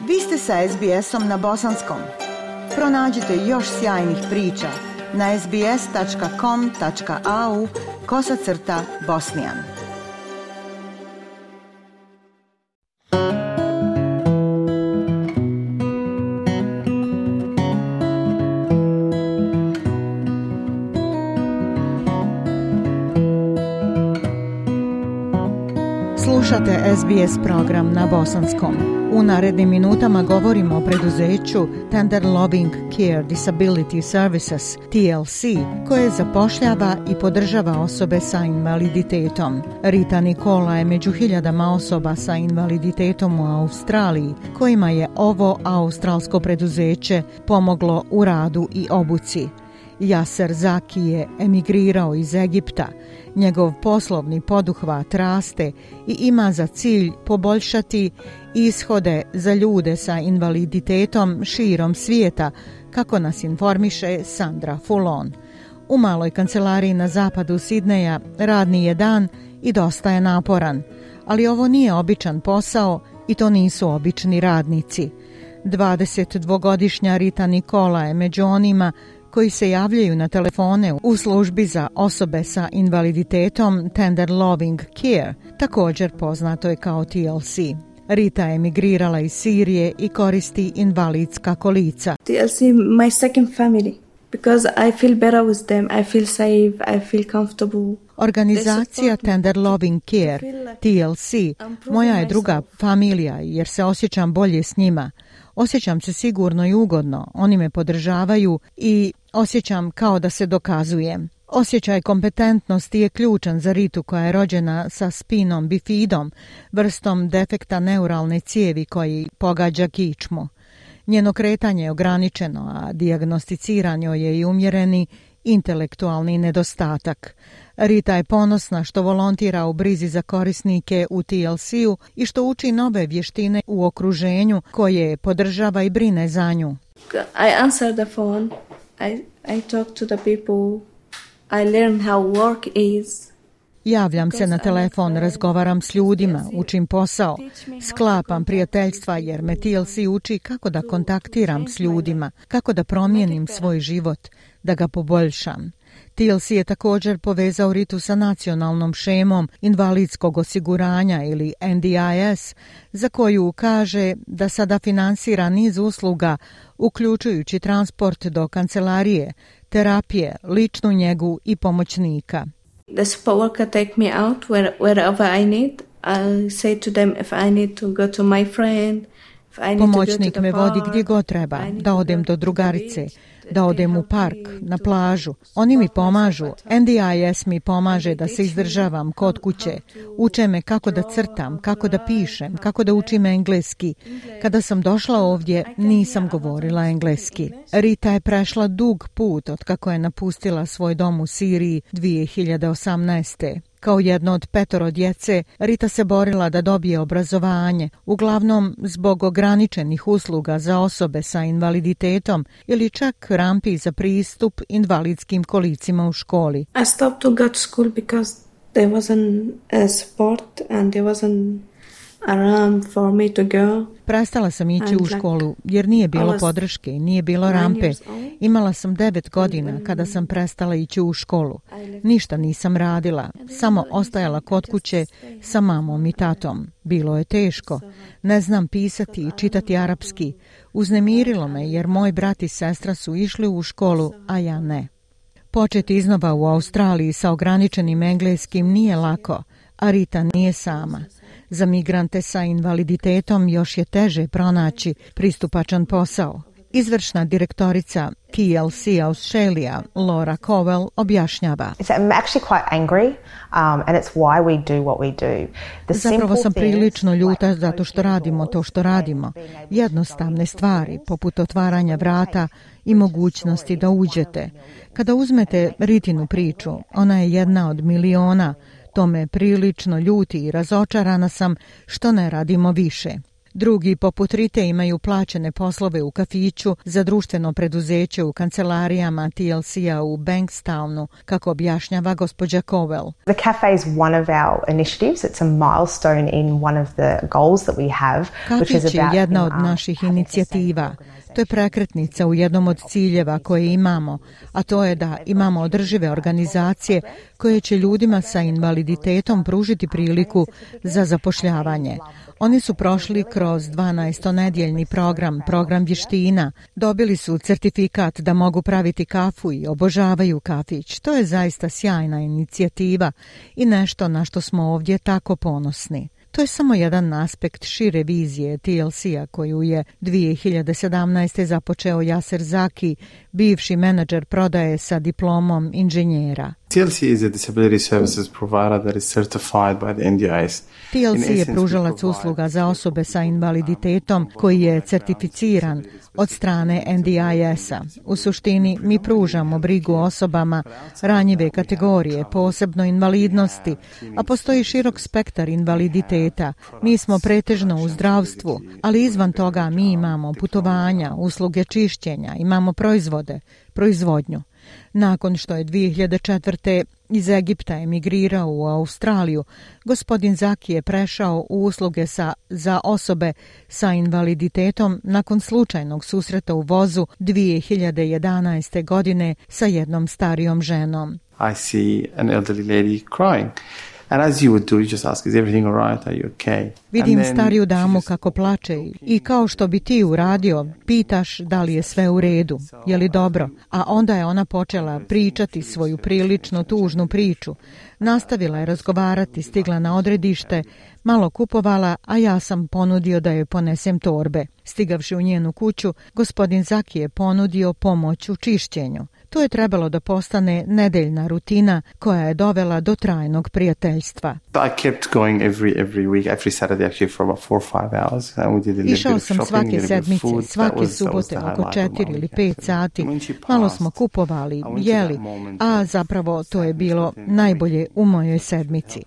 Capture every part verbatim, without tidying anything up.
Vi ste sa es be esom na bosanskom. Pronađite još sjajnih priča na es be es tačka com tačka a u kosacrta bosnijan. Slušate es be es program na bosanskom. U narednim minutama govorimo o preduzeću Tender Loving Care Disability Services, T L C, koje zapošljava i podržava osobe sa invaliditetom. Rita Nikola je među hiljadama osoba sa invaliditetom u Australiji, kojima je ovo australsko preduzeće pomoglo u radu i obuci. Jaser Zaki je emigrirao iz Egipta. Njegov poslovni poduhvat raste i ima za cilj poboljšati ishode za ljude sa invaliditetom širom svijeta, kako nas informiše Sandra Fulon. U maloj kancelariji na zapadu Sidneja radni je dan i dosta je naporan, ali ovo nije običan posao i to nisu obični radnici. dvadesetdvogodišnja Rita Nikola je među onima koji se javljaju na telefone u službi za osobe sa invaliditetom Tender Loving Care, također poznato je kao T L C. Rita je emigrirala iz Sirije i koristi invalidska kolica. T L C my second family because I feel better with them, I feel safe, I feel comfortable. Organizacija Tender Loving Care, T L C, moja je druga familija jer se osjećam bolje s njima. Osjećam se sigurno i ugodno, oni me podržavaju i osjećam kao da se dokazujem. Osjećaj kompetentnosti je ključan za Ritu koja je rođena sa spinom bifidom, vrstom defekta neuralne cijevi koji pogađa kičmu. Njeno kretanje je ograničeno, a dijagnosticiran joj je i umjereni intelektualni nedostatak. Rita je ponosna što volontira u brizi za korisnike u T L C-u i što uči nove vještine u okruženju koje podržava i brine za nju. I answer the phone. I, I talk to the people. I learn how work is. Javljam se na telefon, razgovaram s ljudima, učim posao, sklapam prijateljstva jer me T L C uči kako da kontaktiram s ljudima, kako da promijenim svoj život, da ga poboljšam. T L C je također povezao Ritu sa nacionalnom šemom invalidskog osiguranja ili N D I S, za koju kaže da sada finansira niz usluga, uključujući transport do kancelarije, terapije, ličnu njegu i pomoćnika. The support worker take me out where, wherever I need. I say to them if I need to go to my friend. Pomoćnik me vodi gdje god treba, da odem do drugarice, da odem u park, na plažu. Oni mi pomažu, N D I S mi pomaže da se izdržavam kod kuće. Uče me kako da crtam, kako da pišem, kako da učim engleski. Kada sam došla ovdje, nisam govorila engleski. Rita je prešla dug put od kako je napustila svoj dom u Siriji dvije hiljade osamnaeste. Kao jedno od petoro djece, Rita se borila da dobije obrazovanje, uglavnom zbog ograničenih usluga za osobe sa invaliditetom ili čak rampi za pristup invalidskim kolicima u školi. I stopped to go to school because there wasn't a support and there wasn't a ramp for me to go. Prestala sam ići u školu jer nije bilo podrške, nije bilo rampe. Imala sam devet godina kada sam prestala ići u školu. Ništa nisam radila, samo ostajala kod kuće sa mamom i tatom. Bilo je teško. Ne znam pisati i čitati arapski. Uznemirilo me jer moj brat i sestra su išli u školu, a ja ne. Početi iznova u Australiji sa ograničenim engleskim nije lako, a Rita nije sama. Za migrante sa invaliditetom još je teže pronaći pristupačan posao. Izvršna direktorica T L C Australia, Laura Cowell, objašnjava. Zapravo sam prilično ljuta zato što radimo to što radimo. Jednostavne stvari, poput otvaranja vrata i mogućnosti da uđete. Kada uzmete Ritinu priču, ona je jedna od miliona. To me prilično ljuti i razočarana sam što ne radimo više. Drugi, poput Rite, imaju plaćene poslove u kafiću za društveno preduzeće u kancelarijama T L C-a u Bankstownu, kako objašnjava gospođa Cowell. The cafe is one of our initiatives. It's a milestone in one of the goals that we have, which is Kafić je about jedna od naših inicijativa. To je prekretnica u jednom od ciljeva koje imamo, a to je da imamo održive organizacije koje će ljudima sa invaliditetom pružiti priliku za zapošljavanje. Oni su prošli kroz dvanaestonedjeljni program, program vještina. Dobili su certifikat da mogu praviti kafu i obožavaju kafić. To je zaista sjajna inicijativa i nešto na što smo ovdje tako ponosni. To je samo jedan aspekt šire vizije T L C-a koju je dvije hiljade sedamnaeste. započeo Yaser Zaki, bivši menadžer prodaje sa diplomom inženjera. T L C is a disability services provider that is certified by the N D I S. T L C je pružalac usluga za osobe sa invaliditetom koji je certificiran od strane N D I S-a. U suštini mi pružamo brigu osobama ranjive kategorije, posebno invalidnosti, a postoji širok spektar invaliditeta. Mi smo pretežno u zdravstvu, ali izvan toga mi imamo putovanja, usluge čišćenja, imamo proizvode, proizvodnju. Nakon što je dvije hiljade četvrte. iz Egipta emigrirao u Australiju, gospodin Zaki je prešao u usluge sa, za osobe sa invaliditetom nakon slučajnog susreta u vozu dvije hiljade jedanaeste. godine sa jednom starijom ženom. I see an elderly lady crying. And as you would do, you just ask, is everything all right? Are you okay? Vidim stariju damu kako plače i kao što bi ti uradio, pitaš da li je sve u redu, je li dobro, a onda je ona počela pričati svoju prilično tužnu priču. Nastavila je razgovarati, stigla na odredište, malo kupovala, a ja sam ponudio da joj ponesem torbe. Stigavši u njenu kuću, gospodin Zaki je ponudio pomoć u čišćenju. To je trebalo da postane nedeljna rutina koja je dovela do trajnog prijateljstva. I kept going every every week, every Saturday actually for about four or five hours. And we did a little Išao bit of sam shopping, svake a little bit of sedmice, food. svake That was- that was subote the oko highlight of četiri my ili weekend. pet sati. When she Malo passed, smo kupovali, I went to jeli, that moment a of zapravo to je sadness bilo within- najbolje u mojoj sedmici.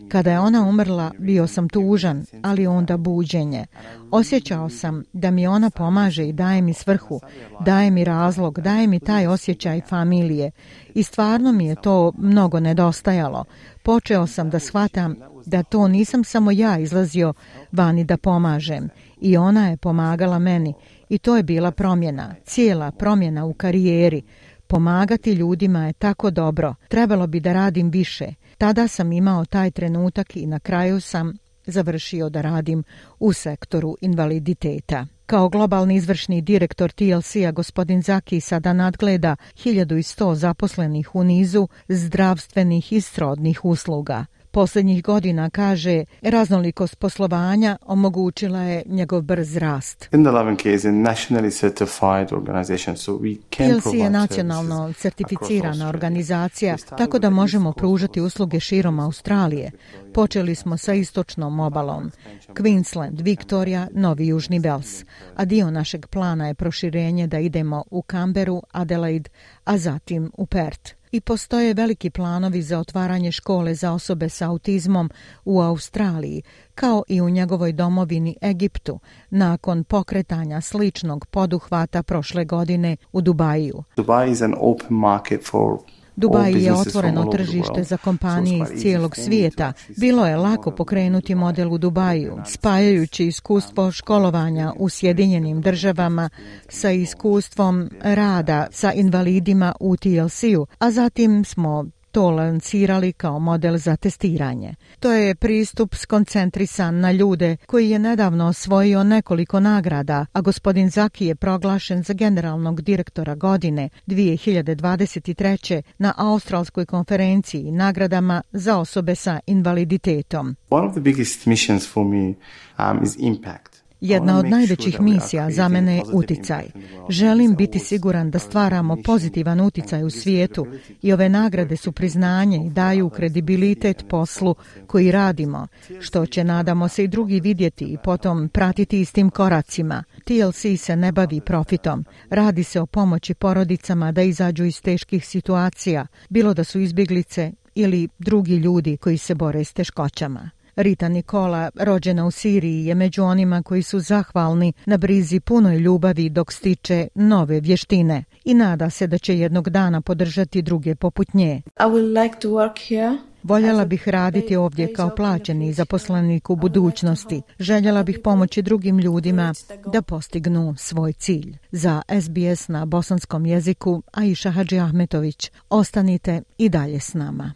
Kada je ona umrla, bio sam tužan, ali onda buđenje. Osjećao sam da mi ona pomaže i daje mi svrhu, daje mi razlog, daje mi taj osjećaj familije. I stvarno mi je to mnogo nedostajalo. Počeo sam da shvatam da to nisam samo ja izlazio vani da pomažem. I ona je pomagala meni. I to je bila promjena, cijela promjena u karijeri. Pomagati ljudima je tako dobro. Trebalo bi da radim više. Tada sam imao taj trenutak i na kraju sam završio da radim u sektoru invaliditeta. Kao globalni izvršni direktor T L C-a gospodin Zaki sada nadgleda hiljadu sto zaposlenih u nizu zdravstvenih i srodnih usluga. Posljednjih godina, kaže, raznolikost poslovanja omogućila je njegov brz rast. In the Loving Care is a nationally certified organization, so we can T L C provide je nacionalno services certificirana across organizacija, Australia. tako da možemo pružati usluge širom Australije. Počeli smo sa istočnom obalom, Queensland, Victoria, Novi Južni Vels, a dio našeg plana je proširenje da idemo u Canberru, Adelaide, a zatim u Perth. I postoje veliki planovi za otvaranje škole za osobe sa autizmom u Australiji, kao i u njegovoj domovini Egiptu, nakon pokretanja sličnog poduhvata prošle godine u Dubaju. Dubai is an open market for Dubaj all je businesses from otvoreno all over the tržište world. za So kompanije it's iz quite easy cijelog for me svijeta. to actually Bilo je start lako model pokrenuti model u Dubaju, spajajući iskustvo školovanja u Sjedinjenim državama sa iskustvom rada sa invalidima u T L C-u, a zatim smo to lancirali kao model za testiranje. To je pristup skoncentrisan na ljude koji je nedavno osvojio nekoliko nagrada, a gospodin Zaki je proglašen za generalnog direktora godine dvije hiljade dvadeset treće. na Australskoj konferenciji i nagradama za osobe sa invaliditetom. One of the biggest missions for me um, is impact. Jedna od najvećih misija za mene je uticaj. Želim biti siguran da stvaramo pozitivan uticaj u svijetu i ove nagrade su priznanje i daju kredibilitet poslu koji radimo, što će, nadamo se, i drugi vidjeti i potom pratiti istim koracima. T L C se ne bavi profitom. Radi se o pomoći porodicama da izađu iz teških situacija, bilo da su izbjeglice ili drugi ljudi koji se bore s teškoćama. Rita Nikola, rođena u Siriji, je među onima koji su zahvalni na brizi punoj ljubavi dok stiče nove vještine i nada se da će jednog dana podržati druge poput nje. I would like to work here. Voljela bih raditi ovdje kao plaćeni zaposlenik u budućnosti. Željela bih pomoći drugim ljudima da postignu svoj cilj. Za S B S na bosanskom jeziku, Aisha Hadžiahmetović. Ostanite i dalje s nama.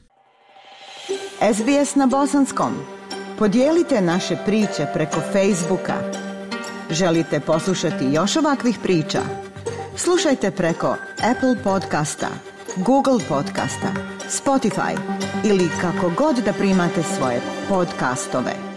S B S na bosanskom. Podijelite naše priče preko Facebooka. Želite poslušati još ovakvih priča? Slušajte preko Apple podcasta, Google podcasta, Spotify ili kako god da primate svoje podcastove.